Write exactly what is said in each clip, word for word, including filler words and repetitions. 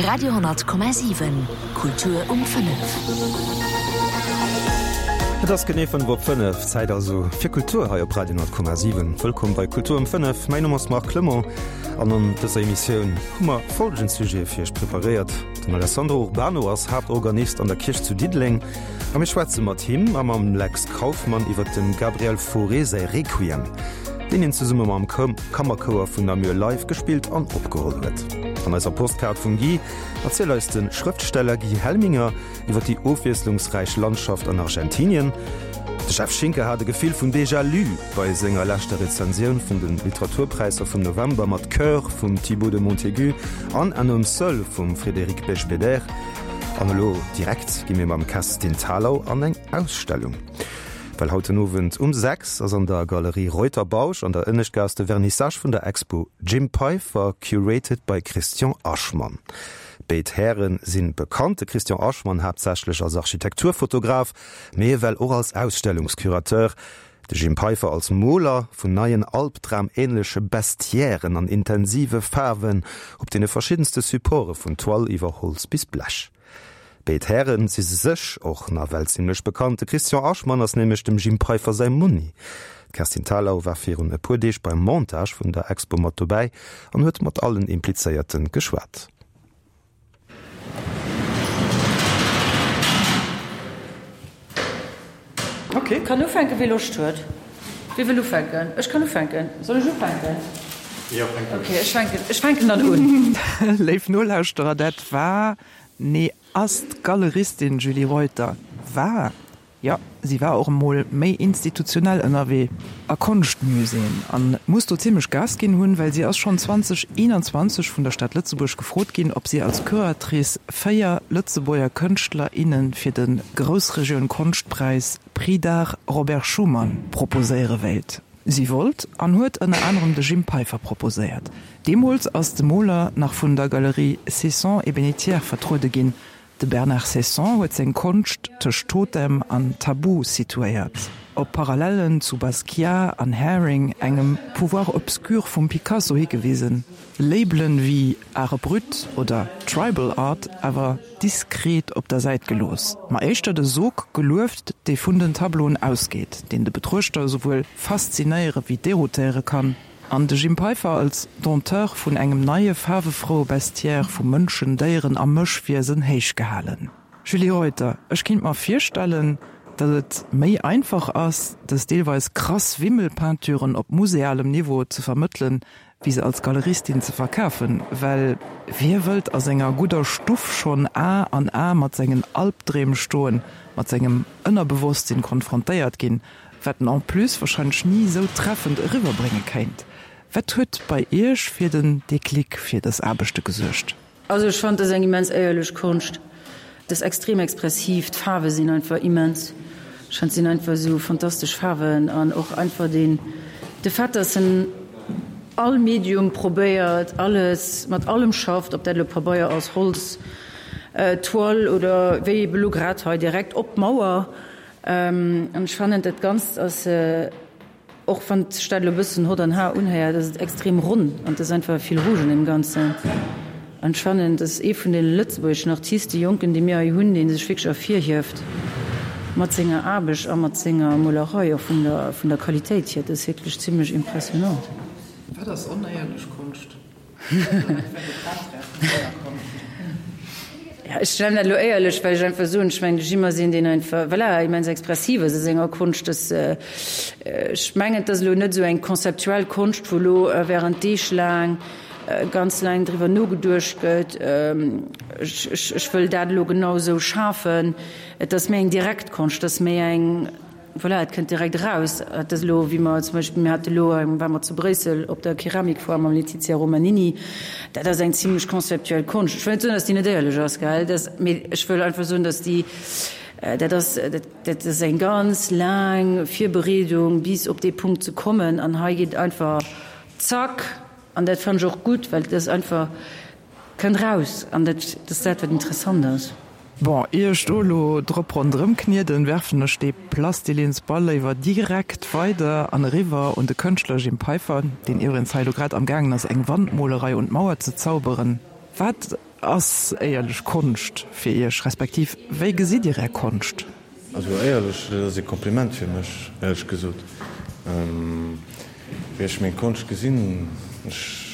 Radio honnert Komma siwen, Kultur um fënnef. Et ass genee fënnef op fënnef, Zäit also fir Kultur hei op Radio honnert Komma siwen. Wëllkomm bei Kultur um fënnef. Mäin Numm ass Marc Clement an an dëser Emissioun hu mer folgend Sujete fir iech preparéiert, Den Alessandro Urbano ass Haaptorganist an der Kierch zu Diddeleng a mir schwätze mat him a mam Lex Kauffmann iwwer dem Gabriel Fauré säi Requiem, deen hien zesumme mam Kammerchouer vun Namur live gespillt an opgeholl huet. An eiser Postkaart vum Guy erzielt eis de Schrëftsteller Guy Helminger iwwer déi ofwiesslungsräich Landschaft an Argentinien. De Jeff Schinker hat e Gefill vun Déjà-lu bei senger leschter Rezensioun vun de Literaturpräisser vum November mat Coeur vum Thibaut de Montaigu an Un homme seul vum Frédéric Beigbeder. An elo direkt gi mir mam Kerstin Thalau an eng Ausstellung. Well haut den Owend um sechs ass an der Galerie Reuter-Bausch an der Ënneschtgaass de Vernissage vun der Expo Jim Peiffer, curated by Christian Aschmann. Béid Häre si bekannt, de Christian Aschmann haaptsächlech als Architekturfotograf, mee ewell och als Ausstellungscurateur, de Jim Peiffer als Moler vun neien albdramähnleche Bestiairen an intensive Faarwen op deene verschiddenste Supporte vun Toile iwwer Holz bis Blech. Béid Häre si sech och nawell zimmlech bekannt, de Christian Aschmann ass nämlech dem Jim Peiffer säi Monni. D'Kerstin Thalau war virun e puer Deeg beim Montage vun der Expo mat dobäi an huet mat allen Implizéierte geschwat. Ok. Kann ufänken, wie Loscht huet. Wie wëll ufänken? Ech kann ufänken. Soll ech ufänken? Jo, fänk un. Ok, ech fänken, ech fänken dann un. Léif Nolauschterer, dat war, nee ass d'Galeristin Julie Reuter. War? Jo, si war och emol méi institutionell ënnerwee, a Konschtmuséeën, an muss do zimmlech Gas ginn hunn, well si ass schonn zwanzeg eenanzwanzeg vun der Stad Lëtzebuerg gefrot ginn, ob si als Curatrice véier Lëtzebuerger Kënschtler, inne fir de Groussregioun-Konschtpräis Prix d'Art Robert Schuman proposéiere wéilt. Si wollt an huet ënner anerem de Jim Peiffer proposéiert. Deemools ass de Moler nach vun der Galerie Cesson et Bénétière vertruede ginn. De Bernard Ceysson huet seng Konscht tëscht Totem an Tabu situéiert, op Parallellen zu Basquiat an Haring, engem Pouvoir obscur vum Picasso higewisen, Labelen wéi Art brut oder Tribal Art awer diskret op der Säit gelooss, ma éischter de Sog gelueft, dee vun den Tableauen ausgeet, deen de Betruechter esouwuel faszinéiere wéi deroutéiere kann. An de Jim Peiffer als Dompteur vun engem neie faarwefroue Bestiaire vu Mënschen, Déieren a Mëschwiesen héichgehalen. Julie Reuter, Ech kinnt mer virstellen, datt et méi einfach ass, dës deelweis krass Wimmelpeinturen op musealem Niveau ze vermëttelen, wéi se als Galeristin ze verkafen, well wie wëllt a senger gudder Stuff schonn A an A mat sengen Albdreem stoen, mat sengem Ënnerbewosstsinn konfrontéiert ginn, wat en en plus wahrscheinlech ni esou treffend eriwwerbrénge kéint. Wat huet bei Iech fir den Déclic fir dës Aarbechte gesuergt? Also ech fannen, dat ass eng immens éierlech Konscht. Dat ass extrem expressiv, d'Faarwe sinn einfach immens, ech fannen, et sinn einfach esou fantastesch Faarwen an och einfach deen, de Fait, dass en all Medium probéiert, alles, mat allem schafft, ob dat elo Pabeier ass, Holz, Toile oder wéi ebe elo grad hei direkt op d'Mauer. An ech fannen, dat Ganzt ass, och wann sech dat elo e bëssen hott an har unhéiert, ass et extrem ronn an et ass einfach e Fil rouge an deem Ganzen. An ech fannen, et ass ee vun de lëtzebuergeschen Artiste, Jonken, déi mir hei hunn, dee sech wierklech ervirhieft mat senger Aarbecht a mat senger Molerei, och vun der, vun der Qualitéit hier. Et ass wierklech zimlech impressionnant. Wat ass onéierlech Konscht? Ech nennen dat elo éierlech, well ech einfach soen, ech mengen, de Jim ass een, deen einfach, voilà, immens expressiv ass a senger Konscht. Dass, ech mengen, et ass elo net esou eng konzeptuell Konscht, wou elo während Deeg laang ganz laang driwwer nogeduecht gëtt, ech, ech, ech wëll dat elo genau esou schafen. Et ass méi eng direkt Konscht, et ass méi eng, Voilà, et kënnt direkt eraus. Et ass elo, wéi mer zum Beispill, mir hate elo, ware mer zu Bréissel op der Keramikfoire mam Letizia Romanini, dat ass eng zimlech konzeptuell Konscht. Ech wëll net soen, datt déi net éierlech ass, gell, dat, mee ech wëll einfach soen, datt déi, dat ass, dat ass eng ganz laang Virbereedung, bis op dee Punkt ze kommen. An hei geet einfach zack, an dat fannen ech och gutt, well et ass einfach, Kënnt raus, an dat ass dat, wat interessant ass. Bon, ier ech do elo drop ronderëm knieden, werfen ech dee Plastilinsball léiwer direkt weider an eriwwer un de Kënschtler Jim Peiffer, deen iwwregens hei elo grad am gaangen ass, eng Wandmolerei un d'Mauer ze zauberen. Wat ass éierlech Konscht fir Iech, respektiv wéi gesitt Dir Är Konscht? Also éierlech, dat ass ee Kompliment fir mech, éierlech gesot. Wéi ech meng Konscht gesinn, ech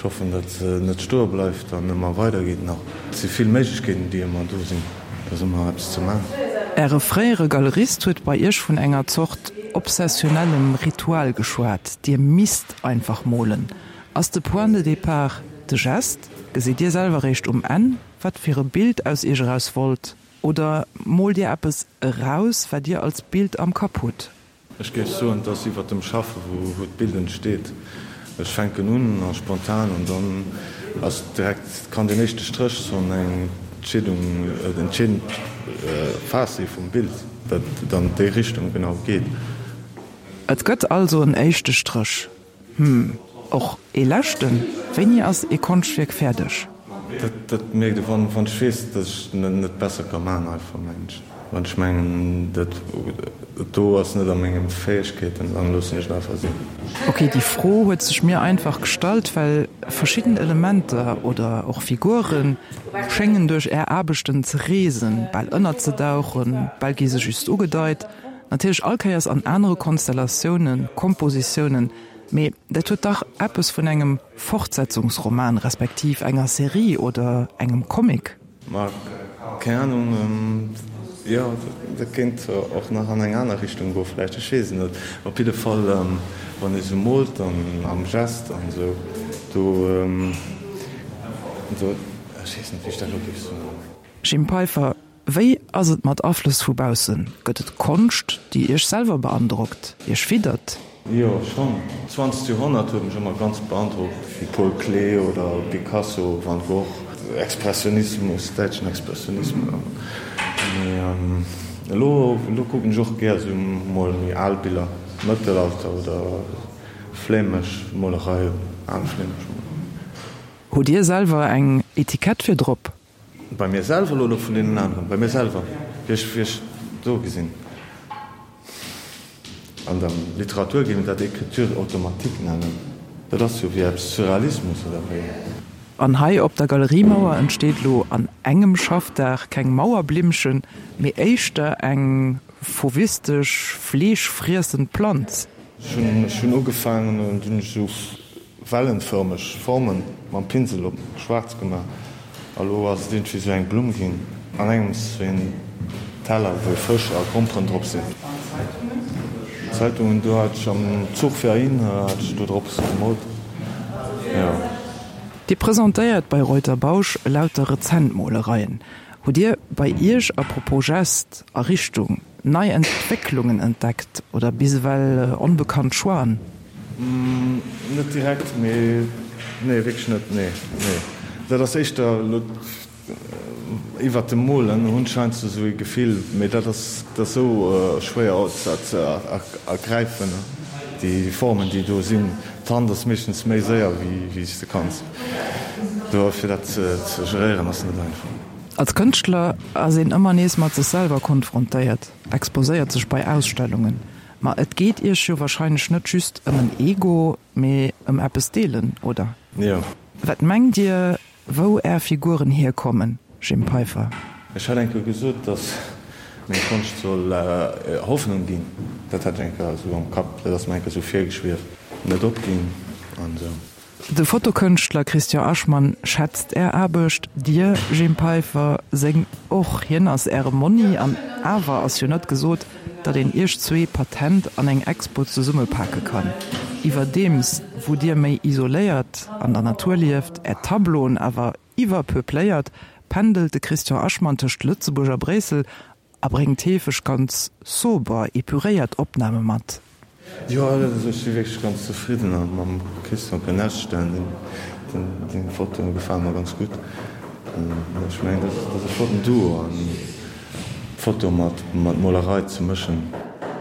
hoffen, datt se net stoe bleift an ëmmer weidergeet nach. Et si vill Méiglechkeeten, déi ëmmer do sinn, et ass ëmmer eppes ze maachen. Äre fréiere Galerist huet bei Iech vun enger Zort obsessionellem Ritual geschwat, Dir misst einfach molen. Ass de Point de départ de Gest? Gesitt Dir selwer réischt um Enn, wat fir e Bild aus Iech eraus wollt? Oder moolt Dir eppes eraus, wat Dir als Bild am Kapp hutt? Ech géif soen, et ass iwwer dem Schaffe wou d'Bild entsteet. Ech fänken un a spontan an dann ass direkt, kann deen éischte Stréch schonn eng Entscheedung, entscheedend Phas si vum Bild, dat et an déi Richtung genau geet. Et gëtt also en éischte Stréch. Hm, och ee leschten? Wéini ass ee Konschtwierk fäerdeg? Dat mierkt ee wann ech weess, datt ech et net besser ka maachen einfach, mengen ech. Wann ech mengen, dat do ass net a menge Fäegkeeten, dann loossen ech et einfach sinn. Ok, déi Fro huet sech mir einfach gestallt, well verschidden Elementer oder och Figure schéngen duerch Är Aarbechten ze reesen, bal ënnerzedauchen, bal gi se just ugedeit, natierlech all Kéiers an anere Konstellatiounen, Kompositiounen, mee dat huet dach eppes vun engem Fortsetzungsroman respektiv enger Serie oder engem Comic. Ma keng Ahnung, jo, dat kéint och nach an eng aner Richtung goen vläicht, ech weess et net. Op jidde Fall, wann ee sou moolt an am Gest an esou, do, do, ech weess net, wéi ech dat elo géif soen. Jim Peiffer, Wéi ass et mat Aflëss vu baussen? Gëtt et Konscht, déi Iech selwer beandrockt, Iech fiddert? Jo, schonn. D'zwanzegt Joerhonnert huet mech ëmmer ganz beandrockt, wéi Paul Klee oder Picasso, Van Gogh, Expressionismus, däitschen Expressionismus. Mee elo, elo kucken ech och gär esou mol méi al Biller, Mëttelalter oder flämesch Molerei, al flämesch Molerei. Hutt Dir selwer eng Etikett fir drop? Bei mir selwer elo, oder vun deenen aneren? Bei mir selwer, wéi ech, wéi ech do gesinn. An der Literatur géif een dat Écriture automatique nennen. Dat ass jo wéi eppes Surrealismus, oder wéi? An hei op der Galeriemauer entsteet elo an engem Schaffdag keng Mauerblimmchen, mee éischter eng fauvistesch, fleeschfriessend Planz. Ech hunn, ech hunn ugefaangen an dunn hunn ech esou wellenförmeg Formen mam Pinsel op schwaarz gemaach a lo ass et iergendwéi sou eng Blumm ginn an engems wéi en Teller wou Fësch a Gromperen drop sinn. Zeitungen, do hat ech am Zuch fir heihin hat ech do drop gemoolt, jo. Dir presentéiert bei Reuter Bausch lauter rezent Molereien. Hutt Dir bei Iech à propos Gest a Richtung nei Entwécklungen entdeckt oder bis ewell onbekannt Choixen? Net direkt, mee nee, wierklech net, nee, nee. Dat ass éischter elo iwwert dem Molen hunn ech heiansdo esou ee Gefill, mee dat ass, dat ass esou schwéier ze ergräifen, déi Formen, déi do sinn. D'Hand ass meeschtens méi séier wéi s de kanns. Dofir dat ze geréieren ass net einfach. Als Kënschtler ass een ëmmer nees mat sech selwer konfrontéiert, exposéiert sech bei Ausstellungen. Ma et geet Iech jo wahrscheinlech net just ëm en Ego, mee ëm eppes deelen, oder? Jo. Wat mengt Dir, wou Är Figuren hierkommen, Jim Peiffer? Ech hat eng Kéier gesot, datt meng Konscht soll Hoffnung ginn. Dat hat ech eng Kéier esou am Kapp, dat ass mer eng Kéier esou virgeschwieft. Net opginn an esou. De Fotokënschtler Christian Aschmann schätzt Är Aarbecht, Dir, Jim Peiffer, seng och. Hien ass Äre Monni an awer ass jo net gesot, datt een Iech zwee patent an eng Expo zesummepake kann. Iwwerdeems wou Dir méi isoléiert an der Natur lieft, Är Tableauen awer iwwerpeupléiert, pendelt de Christian Aschmann tëscht Lëtzebuerg a Bréissel a bréngt heefeg ganz sober, epuréiert Opname mat. Jo, also ech si wierklech ganz zefridden a mam Christian Penestellen. Deng Fotoe gefale mer ganz gutt. Ech mengen, dat ass e flotten Duo an Foto mat Molerei ze mëschen.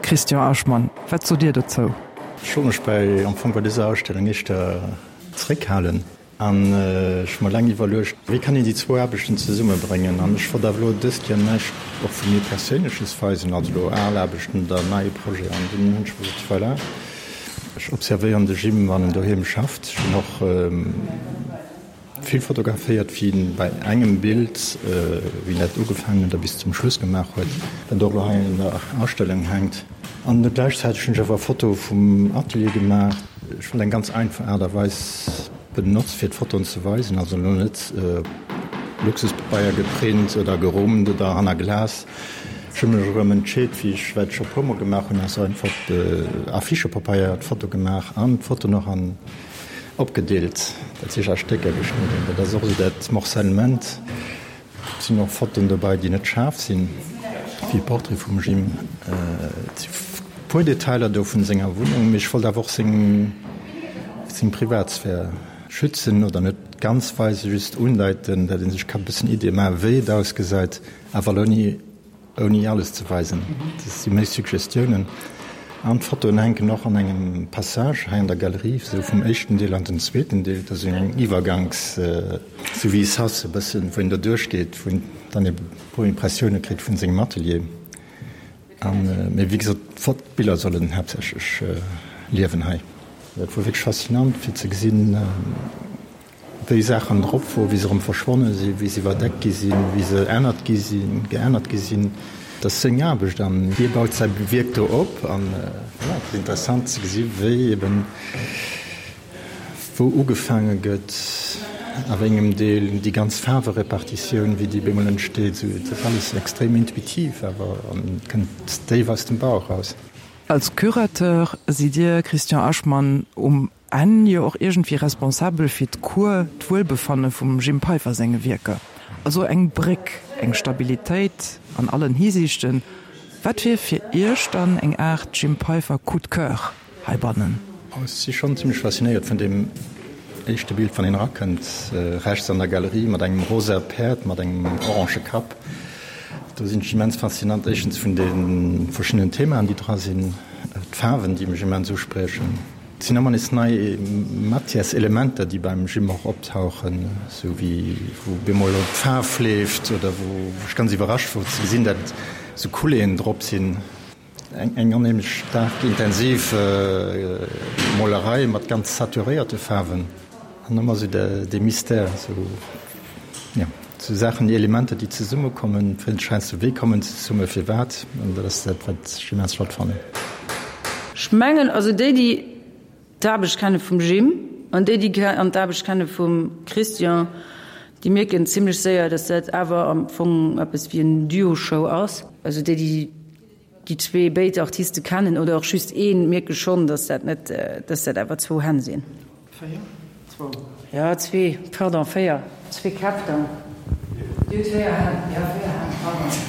Christian Aschmann, wat sot Dir dozou? Ech wollt mech bei am Fong bei dëser Ausstellung éischter zeréckhalen. An ech hu mer laang iwwerluecht, wéi kann een déi zwou Aarbechten zesummebréngen. An ech wollt awer elo dëst Joer näischt och vu mir Perséinleches weisen, also elo al Aarbechten oder neie Projet. An dunn hunn ech mer gesot, voilà, ech observéieren de Jim, wann en doheem schafft. Ech hunn och vill fotograféiert, wéi en bei engem Bild, wéi en dat ugefaangen huet a bis zum Schluss gemaach huet, dat och elo hei an der Ausstellung hänkt. An gläichzäiteg hunn ech awer Fotoe vum Atelier gemaach. Ech wollt eng ganz einfach Aart a Weis benotzt fir d'Fotoen ze weisen, also elo net op Luxuspabeier geprint oder gerummt oder hanner Glas. Ech hu mech erëm entscheet, wéi ech wat ech scho puer mol gemaach hunn, ass einfach op Affichepapeier d'Foto gemaach an d'Foto nach an opgedeelt, dat heescht a Stécker geschnidden. Dat ass och esou dat Morcellement. Et sinn och Fotoen dobäi, déi net schaarf sinn, wéi e Portrait vum Jim. Et si puer Detailer do vun senger Wunneng, mee ech wollt awer och seng seng Privatsphär schützen oder net ganz weisen, just undeiten, dat ee sech ka bëssen Iddie maachen, wéi et ausgesäit, awer ouni Ouni alles ze weisen. Dat si méi Suggestiounen. An d'Fotoen hänken och an engem Passage hei an der Galerie, esou vum éischten Deel an den zweeten Deel. Dat ass esou eng Iwwerganks, esou wéi e Sas e bëssen, wou een do duerchgeet, wou een dann e puer Impressioune kritt vun sengem Atelier. An, mee wéi gesot, d'Biller sollen haaptsächlech liewen hei. Dat wor wierklech faszinant fir ze gesinn, wéi Saachen drop wor, wéi se erëm verschwonne sinn, wéi se iwwerdeckt gi sinn, wéi se ännert gi sinn, geännert gi sinn. Dat ass seng Aarbecht an hie baut säi Wierk do op. An voilà, et ass interessant ze gesi wéi eben wou ugefaange gëtt, a wéi engem Deel, déi ganz Faarwerepartitioun, wéi déi bemol entsteet. Esou, et ass alles extrem intuitiv awer an kënnt déif aus dem Bauch raus. Als Curateur sidd Dir, Christian Aschmann, um Enn jo och iergendwéi responsabel fir d'Cour, d'Wuelbefanne vum Jim Peiffer senge Wierker. Also eng Bréck, eng Stabilitéit an allen Hisiichten. Wat wier fir Iech dann eng Aart Jim Peiffer Coup de coeur heibannen? Ech si schonn zimmlech faszinéiert vun deem éischte Bild, wann een erakënnt, rechts an der Galerie mat engem rosa Päerd mat engem orange Kapp. Do sinn ech immens faszinant, éischtens vun de verschiddenen Themaen, déi dra sinn, d'Faarwen, déi mech immens uspriechen. Et sinn ëmmer nees nei Matières-Elementer, déi beim Jim och optauchen, esou wéi wou bemol d'Faarf leeft oder wou ech ganz iwwerrascht wor ze gesinn, dat esou Coulées drop sinn. Eng onheemlech staark intensiv Molerei mat ganz saturéierte Faarwen an ëmmer esou dee Mystère, esou jo, esou Saachen, déi Elementer, déi zesummekommen, heiansdo wéi kommen se zesumme, firwat, an dat ass dat, wat ech immens flott fannen. Ech mengen, also déi, déi d'Aarbecht kenne vum Jim an déi, déi an d'Aarbecht kenne vum Christian, déi mierken zimlech séier, datt dat awer am Fong eppes wéi en Duo-Show ass. Also déi, déi déi zwee béid Artiste kennen oder och just een, mierke schonn, datt dat net, datt dat awer zwou Hänn sinn. Véier? Zwou? Jo, zwee, pardon, véier. Zwee Käpp dann. Dir hutt véier Hänn. Jo, véier Hänn, pardon.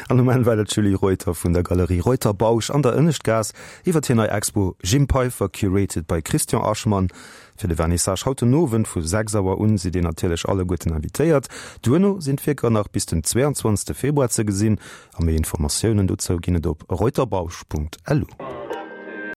An um Enn war dat d'Julie Reuter vun der Galerie Reuter-Bausch an der Ënneschtgaass iwwer hir nei Expo Jim Peiffer, curated by Christian Aschmann. Fir de Vernissage haut den Owend vu sechs Auer un sidd Dir natierlech alleguerten invitéiert. Duerno sinn d'Wierker nach bis den zweeanzwanzegste Februar ze gesinn a méi Informatiounen dozou ginn et op reuterbausch Punkt lu.